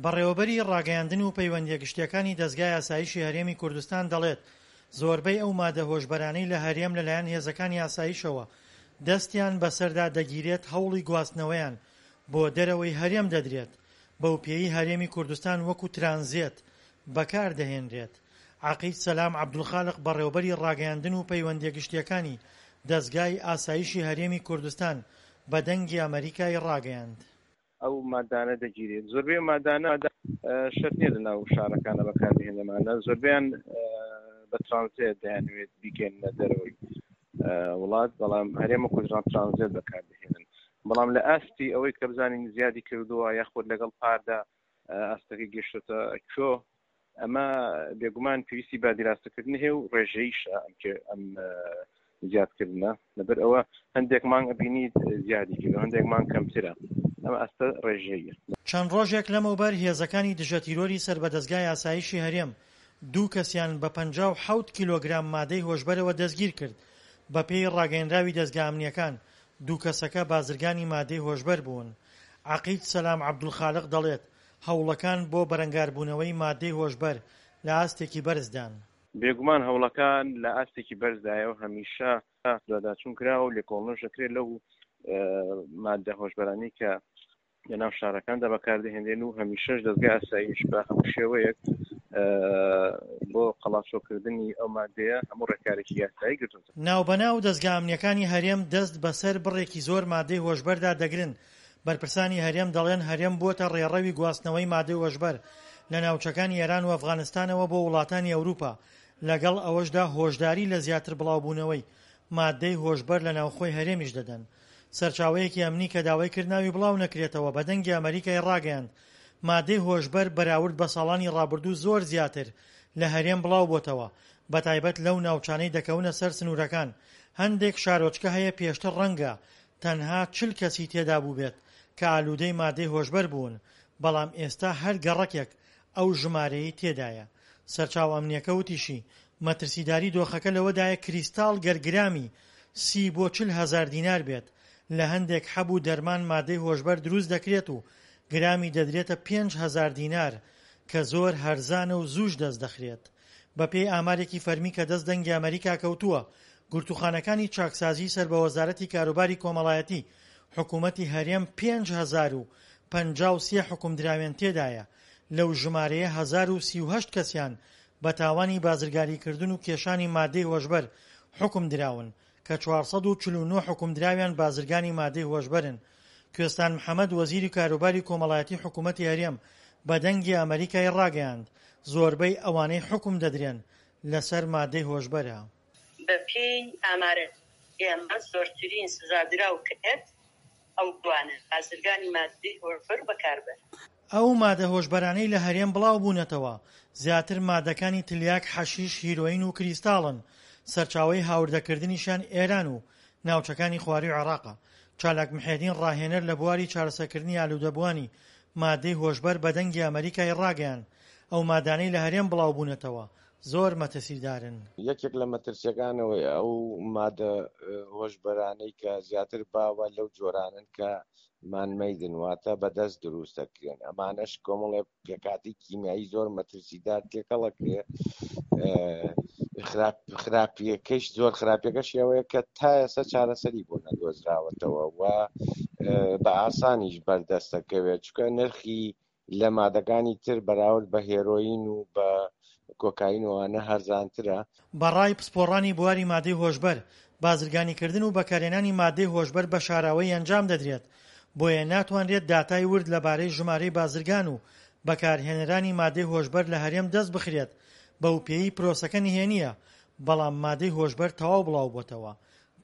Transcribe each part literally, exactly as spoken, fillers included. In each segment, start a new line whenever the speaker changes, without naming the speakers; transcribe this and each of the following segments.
بەڕێوەبەری ڕاگەیاندن و پەیوەندییە گشتییەکانی دەزگای ئاسایشی هەرێمی کوردستان دەڵێت، زۆربەی ئەو مادە هۆشبەرانەی لە هەرێم لەلایەن هێزەکانی ئاسایشەوە دەستیان بەسەردا دەگیرێت هەوڵی گواستنەوەیان بۆ دەرەوەی هەرێم دەدرێت، بەوپێیەی هەرێمی کوردستان وەکو ترانزێت بەکاردەهێنرێت. عەقید سەلام عەبدولخالق بەڕێوەبەری ڕاگەیاندن و پەیوەندییە گشتییەکانی دەزگای ئاسایشی هەرێمی کوردستان بە دەنگی ئەمەریکای ڕاگەیاند.
ئەو مادانە دەگیرێت زۆربەی ئەو مادانە شەرت نییە لەناو شارەکانە بەکاربهێنێمانە زۆربەیان بە ترانزێت دەیانەوێت بیگەنە دەرەوەی وڵات بەڵام هەرێم و کوردستان ترانزێت بەکاردەهێنن بەڵام لە ئاستی ئەوەی کە بزانین زیادی کردووە یاخود لەگەڵ پاردا ئاستەکەی گەشتۆتە کوێ ئەمە بێگومان پێویستی بە دیراستەکردن هەیە و ڕێژەیشە ئەم زیادکردنە لەبەر ئەوە هەندێک مانگ ئەبینیت زیادی کردو هەندێک مانگ کەمترە ئەمە ئاستە ڕێژەیە.
چەند ڕۆژێک لەمەوبەر هێزەکانی دژەتیرۆری سەر بە دەزگای ئاسایشی هەرێم دوو کەسیان بە پەنجا و حەوت کیلۆگرام مادەی هۆشبەرەوە دەستگیرکرد، بەپێی ڕاگەیەنراوی دەزگا ئەمنییەکان دوو کەسەکە بازرگانی مادەی هۆشبەر بوون. عەقید سەلام عەبدولخالق دەڵێت، هەوڵەکان بۆ بەرەنگاربوونەوەی مادەی هۆشبەر لە ئاستێکی بەرزدان.
بێگومان هەوڵەکان لە ئاستێکی بەرزدایە و هەمیشە دواداچوون کراوە و لێکۆڵنەوەش دەکرێت لەو مادە هۆشبەرانەی کە لە ناو شارەکاندا بەکاردەهێنرێن و هەمیشەش دەزگای ئاسایش بە هەموو شێوەیەک بۆ قەڵاچۆکردنی ئەو مادەیە هەموو ڕێکارێکی یاسایی گرتووەتە.
ناوبەناو دەزگا ئەمنییەکانی هەرێم دەست بەسەر بڕێکی زۆر مادەی هۆشبەردا دەگرن، بەرپرسانی هەرێم دەڵێن هەرێم بووەتە ڕێڕەوی گواستنەوەی مادەی هۆشبەر لە ناوچەکانی ئێران و ئەفغانستانەوە بۆ وڵاتانی ئەوروپا، لەگەڵ ئەوەشدا هۆشداری لە زیاتر بڵاوبوونەوەی مادەی هۆشبەر لە ناوخۆی هەرێمیش دەدەن. سەرچاوەیەکی ئەمنی کە داوای کرد ناوی بڵاو نەکرێتەوە بە دەنگی ئەمەریکای ڕاگەیاند، مادەی هۆشبەر بەراورد بە ساڵانی ڕابردوو زۆر زیاتر لە هەرێم بڵاوبۆتەوە، بەتایبەت لەو ناوچانەی دەکەونە سەر سنوورەکان، هەندێک شارۆچکە هەیە پێشتر ڕەنگە تەنها چل کەسی تێدا بووبێت کە ئالوودەی مادەی هۆشبەر بوون، بەڵام ئێستا هەر گەڕەکێک ئەو ژمارەیەی تێدایە. سەرچاوە ئەمنییەکە وتیشی، مەترسیداری دۆخەکە لەوەدایە کریستاڵ گەر گرامی سی بۆ چل هەزار دینار بێت، لە هەندێک حەب و دەرمان مادەی هۆشبەر دروست دەکرێت و گرامی دەدرێتە پێنج هەزار دینار کە زۆر هەرزانە و زووش دەست دەخرێت. بەپێی ئامارێکی فەرمی کە دەست دەنگی ئەمەریکا کەوتووە، گرتووخانەکانی چاکسازیی سەر بە وەزارەتی کاروباری کۆمەڵایەتی حکوومەتی هەرێم پێنج هەزار و پەنجا و سێ حوکمدراوێن تێدایە، لەو ژمارەیە هەزار و سی و هەشت کەسیان بە تاوانی بازرگاریکردن و کێشانی مادەی هۆشبەر حوکم دراون کە چوار سەد و چل و نۆ حوکمدراویان بازرگانی مادەی هۆشبەرن. کوێستان محەمەد وەزیری کاروباری کۆمەڵایەتی حکوومەتی هەرێم بە دەنگی ئەمەریکای ڕاگەیاند، زۆربەی ئەوانەی حوکم دەدرێن لەسەر مادەی هۆشبەرە.
بەپێی ئامارە ئێمە زۆرترین سزادراو کرد ئەو دوانە، بازرگانی ماددەی هۆشبەر و بەکاربەر.
ئەو مادە هۆشبەرانەی لە هەرێم بڵاوبوونەتەوە زیاتر مادەکانی تلیاک، حەشیش، هیرۆین و کریستاڵن، سەرچاوەی هاوردەکردنیشیان ئێران و ناوچەکانی خوارووی عێراقە. چالاک محێدین ڕاهێنەر لە بواری چارەسەرکردنی ئالوودەبووانی مادەی هۆشبەر بە دەنگی ئەمەریکای ڕاگەیاند، ئەو مادانەی لە هەرێم بڵاوبوونەتەوە زۆر مەترسیدارن.
یەکێک لە مەترسیەکانەوەی ئەو مادە هۆشبەرانەی کە زیاتر باوە لەو جۆرانن کە مانمەیدن، واتە بەدەست دروست دەکرێن. ئەمانەش کۆمەڵێک پێکهاتەی کیمیایی زۆر مەترسیدار تێکەڵەکرێ. خراپ خراپیەکەش زۆر خراپیەکەش ئەوەیە کە تا ئێستا چارەسەری بۆ نەدۆزراوەتەوە و بە ئاسانیش بەردەستەکەوێت، چونکە نرخی لە مادەکانی تر بەراورد بە هێرۆین و بە کۆکاین وانە هەرزانترە.
بە ڕای پسپۆڕانی بواری مادەی هۆشبەر، بازرگانیکردن و بەکارهێنانی مادەی هۆشبەر بە شاراوەیی ئەنجام دەدرێت، بۆیە ناتوانرێت داتای ورد لەبارەی ژمارەی بازرگان و بەکارهێنەرانی مادەی هۆشبەر لە هەرێم دەست بخرێت، بەوپێیەی پرۆسەکە نهێنییە، بەڵام مادەی هۆشبەر تەواو بڵاوبۆتەوە.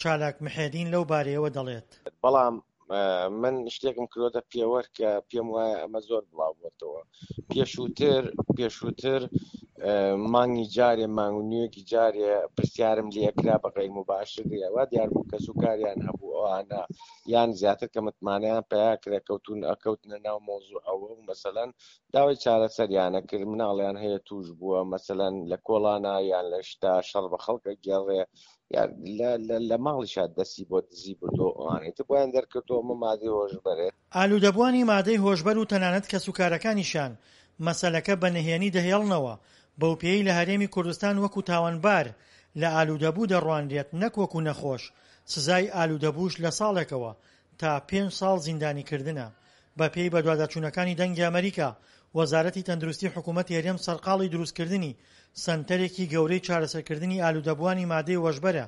چالاک محێدین لەو بارەیەوە دەڵێت.
بەڵام من شتێکم کردۆتە پێوەر کە پێم وایە ئەمە زۆر بڵاو بۆتەوە. پێشووتر پێشووتر مانگی جارێ مانگ و نیوێکی جارێ پرسیارم لێکرا بە غەیر موباشر وا دیار بوو کەس و کاریان هەبوو ئەوانە یان زیاتر کە متمانەیان پیا کرا کەوتون ئەکەوتنە ناو مەوزوعەوە و مەسەلەن داوای چارەسەریانە کرد، مناڵیان هەیە توش بووە مەسەلەن لە کۆڵانە یان لە شتا شەڕ بە خەڵکە گێڕێ یان لە ماڵیشا دەستی بۆ دزی بردووە ئەوانەی تر بۆیان دەرکەوتووە ئەمە مادەی هۆشبەرێ.
ئالوودەبووانی مادەی هۆشبەر و تەنانەت کەسوکارەکانیشیان مەسەلەکە بە نهێنی دەهێڵنەوە، بەوپێیەی لە هەرێمی کوردستان وەکو تاوانبار لە ئالوودەبوو دەڕوانرێت نەک وەکو نەخۆش، سزای ئالوودەبووش لە ساڵێکەوە تا پێنج ساڵ زیندانیکردنە. بەپێی بەدواداچوونەکانی دەنگی ئەمەریکا، وەزارەتی تەندروستی حکوومەتی هەرێم سەرقاڵی دروستکردنی سەنتەرێکی گەورەی چارەسەرکردنی ئالوودەبووانی مادەی هۆشبەرە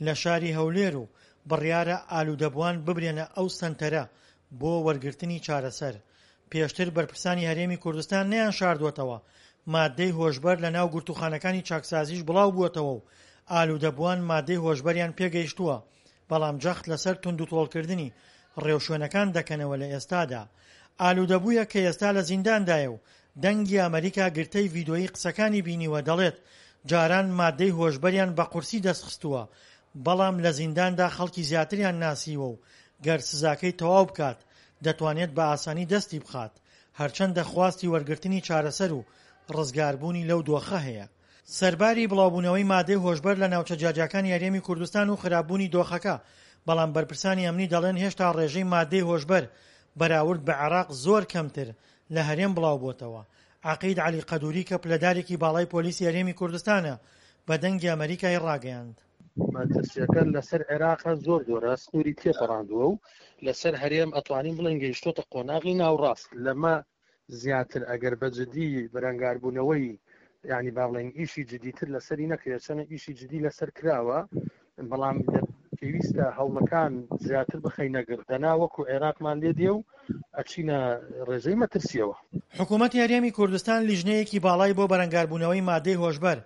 لە شاری هەولێر و بڕیارە ئالوودەبووان ببرێنە ئەو سەنتەرە بۆ وەرگرتنی چارەسەر. پێشتر بەرپرسانی هەرێمی کوردستان نەیانشاردووەتەوە مادەی هۆشبەر لە ناو گرتووخانەکانی چاکسازیش بڵاوبووەتەوە و ئالوودەبووان مادەی هۆشبەریان پێگەیشتووە، بەڵام جەخت لەسەر توندوتۆڵکردنی ڕێوشوێنەکان دەکەنەوە لە ئێستادا ئالوودەبوویەک کە ئێستا لە زینداندایە و دەنگی ئەمەریکا گرتەی ڤیدۆیی قسەکانی بینیوە دەڵێت جاران مادەی هۆشبەریان بە قورسی دەستخستووە بەڵام لە زینداندا خەڵکی زیاتریان ناسیوە و گەر سزاکەی تەواو بکات دەتوانێت بە ئاسانی دەستی بخات هەرچەندە خواستی وەرگرتنی چارەسەر و ڕزگاربوونی لەو دۆخە هەیە. سەرباری بڵاوبوونەوەی مادەی هۆشبەر لە ناوچە جیاجیاکانی هەرێمی کوردستان و خراپبوونی دۆخەکە، بەڵام بەرپرسانی ئەمنی دەڵێن هێشتا ڕێژەی مادەی هۆشبەر بەراورد بە عێراق زۆر کەمتر لە هەرێم بڵاوبووەتەوە. عەقید عەلی قەدوری کە پلەدارێکی باڵای پۆلیسی هەرێمی کوردستانە بە دەنگی ئەمەریکای ڕاگەیاند.
مەترسیەکە لەسەر عێراق زۆر زۆرە، سنووری تێپەڕاندووە و لەسەر هەرێم ئەتوانین بڵێین گەیشتۆتە قۆناغی ناوڕاست. لەمە زیاتر ئەگەر بە جدی بەرەنگاربوونەوەی یعنی با بڵێین ئیشی جدیتر لەسەری نەکرێت، چەنە ئیشی جدی لەسەر کراوە، بەڵام پێویستە هەوڵەکان زیاتر بخەینە گڕ، دەنا وەکو عێراقمان لێ دێ و ئەچینە ڕێژەی مەترسیەوە.
حکوومەتی هەرێمی کوردستان لیژنەیەکی باڵای بۆ بەرەنگاربوونەوەی مادەی هۆشبەر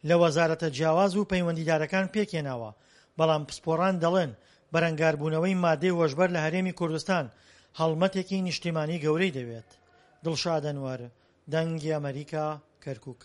لە وەزارەتە جیاواز و پەیوەندیدارەکان پێکهێناوە، بەڵام پسپۆڕان دەڵێن بەرەنگاربوونەوەی مادەی هۆشبەر لە هەرێمی کوردستان هەڵمەتێکی نیشتیمانی گەورەی دەوێت. دڵشاد ئەنوەر، دەنگی ئەمەریکا، کەرکوک.